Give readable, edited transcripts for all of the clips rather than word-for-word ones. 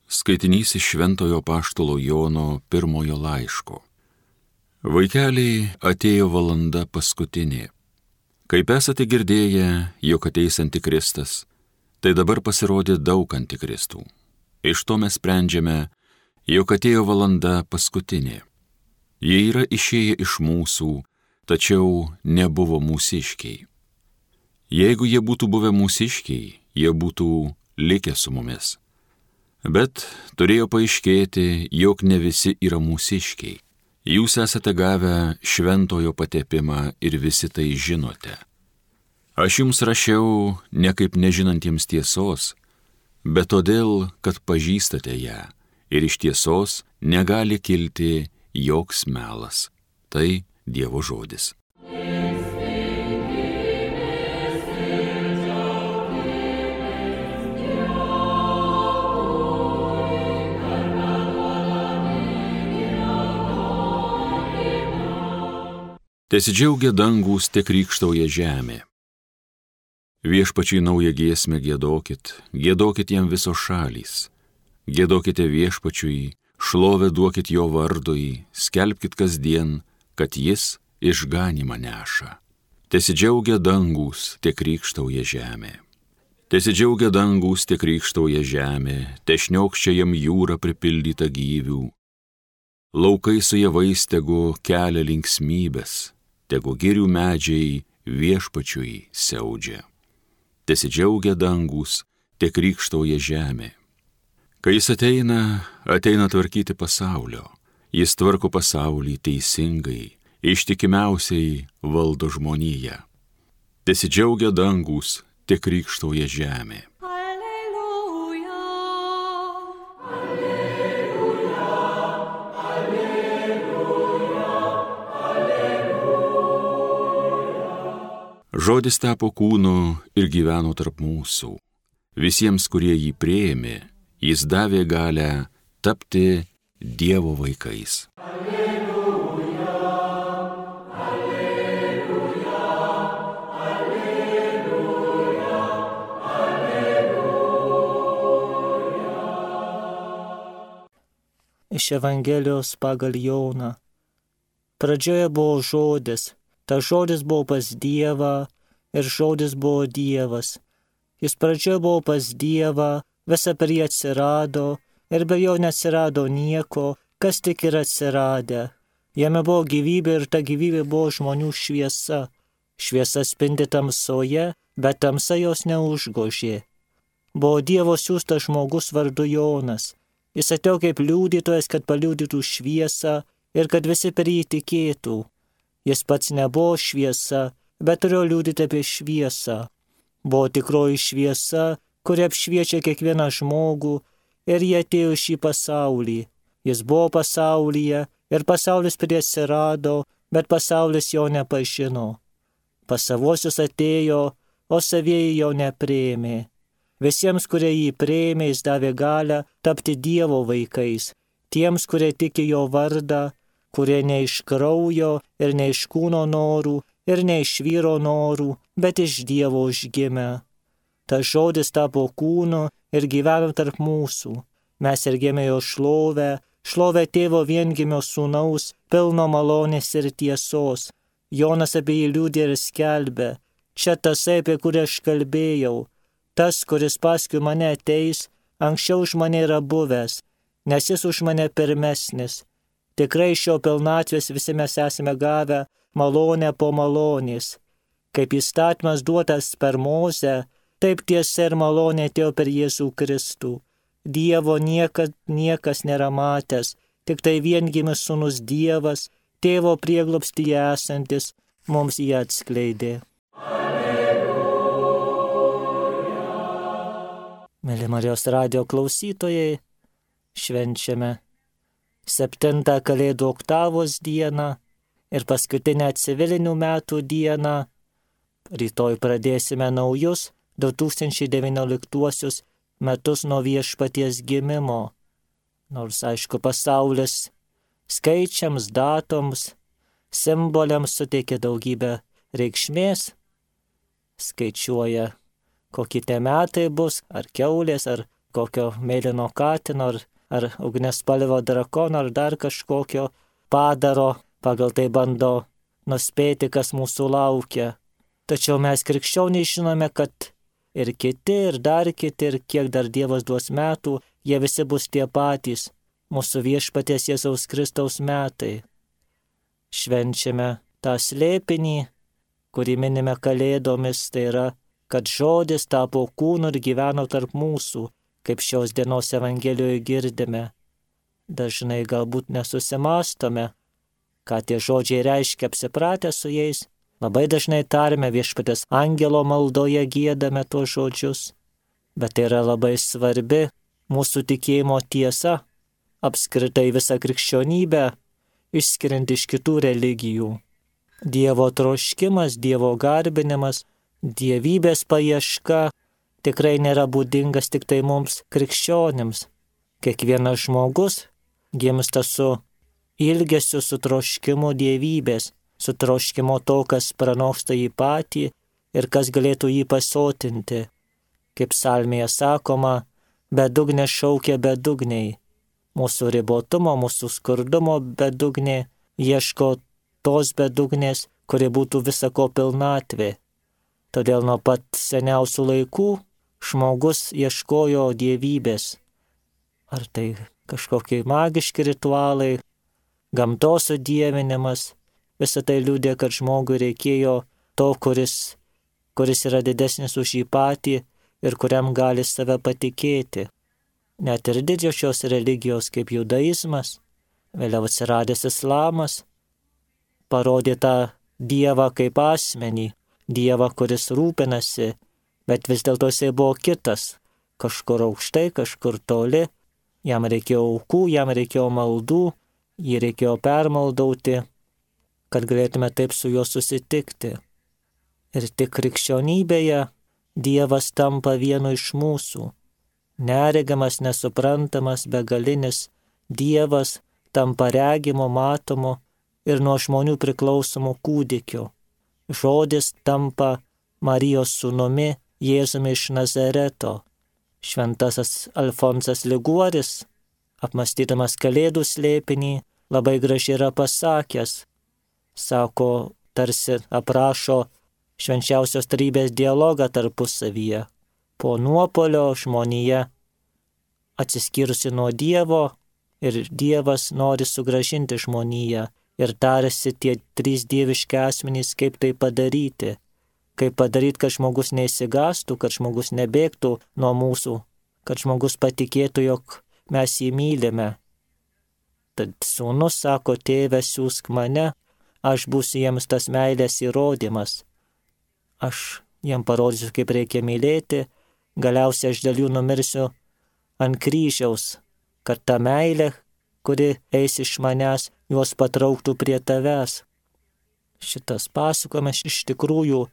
Skaitinys iš Šventojo Apaštalo Jono pirmojo laiško. Vaikeliai, atėjo valanda paskutinė. Kaip esate girdėję, jog ateis Antikristas, tai dabar pasirodė daug antikristų. Iš to mes sprendžiame, jog atėjo valanda paskutinė. Jie yra išėję iš mūsų, tačiau nebuvo mūsiškiai. Jeigu jie būtų buvę mūsiškiai, jie būtų likę su mumis. Bet turėjo paaiškėti, jog ne visi yra mūsiškiai. Jūs esate gavę šventojo patepimą ir visi tai žinote. Aš jums rašiau ne kaip nežinantiems tiesos, bet todėl, kad pažįstate ją ir iš tiesos negali kilti joks melas. Tai Dievo žodis. Tesidžiaugia dangūs, te krykštauja žemė. Viešpačiui naują giesmę giedokit, giedokit jam visos šalys. Giedokite viešpačiui, šlovę duokit jo vardui, skelbkit kasdien, kad jis išganymą neša. Tesidžiaugia dangūs, te krykštauja žemė. Tesidžiaugia dangūs, te krykštauja žemė, te šniokščia jam jūra pripildyta gyvių. Laukai su javais tegu kelia linksmybės, tegu girių medžiai viešpačiui siaudžia. Tesidžiaugia dangūs, te krykštauja žemė. Kai jis ateina tvarkyti pasaulio. Jis tvarko pasaulį teisingai, ištikimiausiai valdo žmoniją. Tesidžiaugia dangūs, te krykštauja žemė. Žodis tapo kūnu ir gyveno tarp mūsų. Visiems, kurie jį priėmė, jis davė galią tapti Dievo vaikais. Alleluja, alleluja, alleluja, alleluja. Iš Evangelijos pagal Joną. Pradžioje buvo žodis. Tas žodis buvo pas Dievą ir žodis buvo Dievas. Jis pradžioje buvo pas Dievą, visa per jį atsirado ir be jo neatsirado nieko, kas tik yra atsiradę. Jame buvo gyvybė ir ta gyvybė buvo žmonių šviesa. Šviesa spindi tamsoje, bet tamsa jos neužgožė. Buvo Dievo siųstas žmogus vardu Jonas. Jis atėjo kaip liudytojas, kad paliudytų šviesą ir kad visi per jį tikėtų. Jis pats nebuvo šviesa, bet turėjo liudyti apie šviesą. Buvo tikroji šviesa, kuri apšviečia kiekvieną žmogų, ir jie atėjo į šį pasaulį. Jis buvo pasaulyje ir pasaulis prie atsirado, bet pasaulis jo nepažino. Pas savuosius atėjo, o savieji jo nepriėmė. Visiems, kurie jį priėmė, jis davė galią tapti Dievo vaikais, tiems, kurie tiki jo vardą, kurie ne iš kraujo ir ne iš kūno norų ir ne iš vyro norų, bet iš Dievo užgimę. Tas žodis tapo kūnu ir gyveno tarp mūsų. Mes sergėme jo šlovę, šlovę tėvo viengimio sūnaus, pilno malonės ir tiesos. Jonas apie jį liudė ir skelbė. Čia tasai, apie kurį aš kalbėjau. Tas, kuris paskui mane ateis, anksčiau už mane yra buvęs, nes jis už mane pirmesnis. Tikrai iš jo pilnatvės visi mes esame gavę malonę po malonės. Kaip įstatymas duotas per Mozę, taip tiesa ir malonė atėjo per Jėzų Kristų. Dievo niekas nėra matęs, tik tai viengimis sūnus Dievas, tėvo prieglobstyje esantis, mums jį atskleidė. Alleluja. Mėly Marijos radijo klausytojai, švenčiame 7 Kalėdų oktavos dieną ir paskutinę civilinių metų dieną. Rytoj pradėsime naujus 2019 metus nuo Viešpaties gimimo. Nors, aišku, pasaulis skaičiams, datoms, simboliams suteikia daugybę reikšmės, skaičiuoja, kokie tie metai bus, ar kiaulės, ar kokio mėlyno katino ar ugniaspalvio drakono ar dar kažkokio padaro, pagal tai bando nuspėti, kas mūsų laukia. Tačiau mes krikščioniai žinome, kad ir kiti, ir dar kiti, ir kiek dar Dievas duos metų, jie visi bus tie patys, mūsų viešpaties Jėzaus Kristaus metai. Švenčiame tą slėpinį, kurį minime kalėdomis, tai yra, kad žodis tapo kūnu ir gyveno tarp mūsų, kaip šios dienos Evangelijoje girdime. Dažnai galbūt nesusimastome, ką tie žodžiai reiškia, apsipratę su jais. Labai dažnai tarime viešpatės angelo maldoje, giedame tuos žodžius, bet tai yra labai svarbi mūsų tikėjimo tiesa, apskritai visą krikščionybę, išskiriant iš kitų religijų. Dievo troškimas, Dievo garbinimas, dievybės paieška tikrai nėra būdingas tik tai mums krikščionims. Kiekvienas žmogus gimsta su ilgesiu, su troškimu dievybės, su troškimu to, kas pranoksta jį patį ir kas galėtų jį pasotinti. Kaip psalmėje sakoma, bedugnė šaukia bedugniai. Mūsų ribotumo, mūsų skurdumo bedugnė ieško tos bedugnės, kuri būtų visako pilnatvė. Todėl nuo pat seniausių laikų žmogus ieškojo dievybės. Ar tai kažkokie magiški ritualai, gamtos sudievinimas, visą tai liudė, kad žmogui reikėjo to, kuris yra didesnis už jį patį ir kuriam gali save patikėti. Net ir didžiosios religijos kaip judaizmas, vėliau atsiradęs islamas, parodė tą Dievą kaip asmenį, Dievą, kuris rūpinasi, bet vis dėlto jisai buvo kitas, kažkur aukštai, kažkur toli, jam reikėjo aukų, jam reikėjo maldų, jį reikėjo permaldauti, kad galėtume taip su juo susitikti. Ir tik krikščionybėje Dievas tampa vienu iš mūsų. Neregiamas, nesuprantamas, begalinis Dievas tampa regimu, matomu ir nuo žmonių priklausomu kūdikiu. Žodis tampa Marijos sūnumi, Jėzumi iš Nazareto. Šventasis Alfonsas Liguoris, apmąstydamas Kalėdų slėpinį, labai gražiai yra pasakęs, sako, tarsi aprašo švenčiausios trejybės dialogą tarpusavyje. Po nuopuolio žmonija atsiskyrusi nuo Dievo ir Dievas nori sugrąžinti žmoniją ir tarsi tie trys dieviški asmenys, kaip tai padaryti. Kaip padaryti, kad žmogus neįsigastų, kad žmogus nebėgtų nuo mūsų, kad žmogus patikėtų, jog mes jį mylime. Tad sūnus sako, tėve, siųsk mane, aš būsiu jiems tas meilės įrodymas. Aš jiem parodysiu, kaip reikia mylėti, galiausiai aš dėl jų numirsiu ant kryžiaus, kad ta meilė, kuri eis iš manęs, juos patrauktų prie tavęs. Šitas pasakojimas iš tikrųjų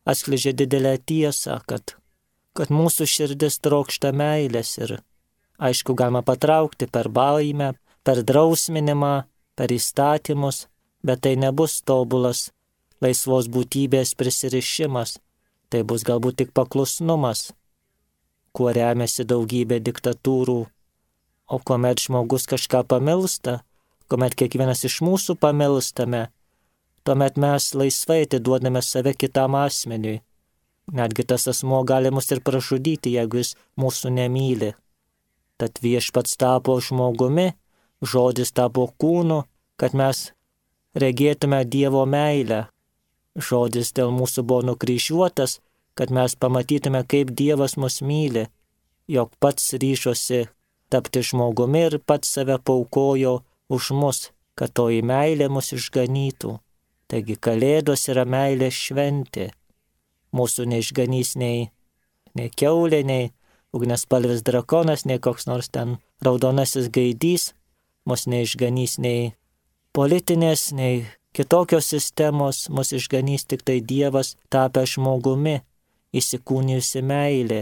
atskleidžia didelę tiesą, kad mūsų širdis trokšta meilės ir, aišku, galima patraukti per baimę, per drausminimą, per įstatymus, bet tai nebus tobulas laisvos būtybės prisirišimas, tai bus galbūt tik paklusnumas, kuo remiasi daugybė diktatūrų. O kuomet žmogus kažką pamilsta, kuomet kiekvienas iš mūsų pamilstame, tuomet mes laisvai atiduodame save kitam asmeniui. Netgi tas asmuo gali mus ir pražudyti, jeigu jis mūsų nemyli. Tad viešpats tapo žmogumi, žodis tapo kūnu, kad mes regėtume Dievo meilę. Žodis dėl mūsų buvo nukryžiuotas, kad mes pamatytume, kaip Dievas mus myli, jog pats ryžosi tapti žmogumi ir pats save paaukojo už mus, kad toji meilė mus išganytų. Taigi Kalėdos yra meilės šventė. Mūsų neišganys nei kiaulė, nei ugniaspalvis drakonas, nei koks nors ten raudonasis gaidys, mus neišganys nei politinės, nei kitokios sistemos, mus išganys tik tai Dievas tapęs žmogumi, įsikūnijusi meilė.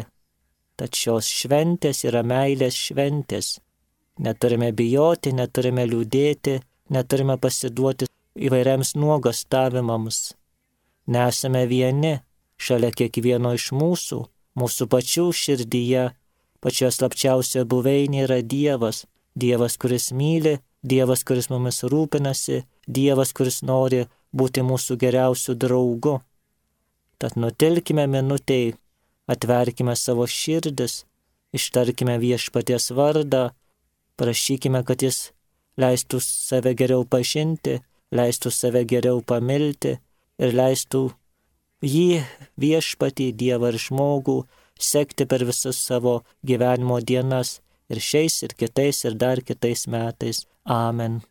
Tad šios šventės yra meilės šventės. Neturime bijoti, neturime liūdėti, neturime pasiduoti įvairiams nuogastavimams. Nesame vieni, šalia kiekvieno iš mūsų pačių širdyje pačioje slapčiausioje buveinėje yra Dievas. Dievas, kuris myli, Dievas, kuris mumis rūpinasi, Dievas, kuris nori būti mūsų geriausių draugų. Tad nutilkime minutei, atverkime savo širdis, ištarkime Viešpaties vardą, prašykime, kad jis leistų save geriau pažinti, leistų save geriau pamilti ir leistų jį, Viešpatį, Dievą ir žmogų, sekti per visas savo gyvenimo dienas ir šiais, ir kitais, ir dar kitais metais. Amen.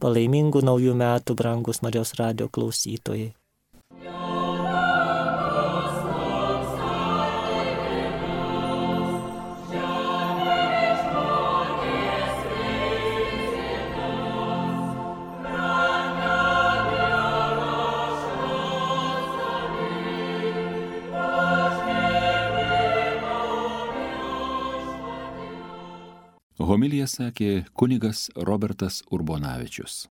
Palaimingų naujų metų, brangus Marijos radijo klausytojai. Homiliją sakė kunigas Robertas Urbonavičius.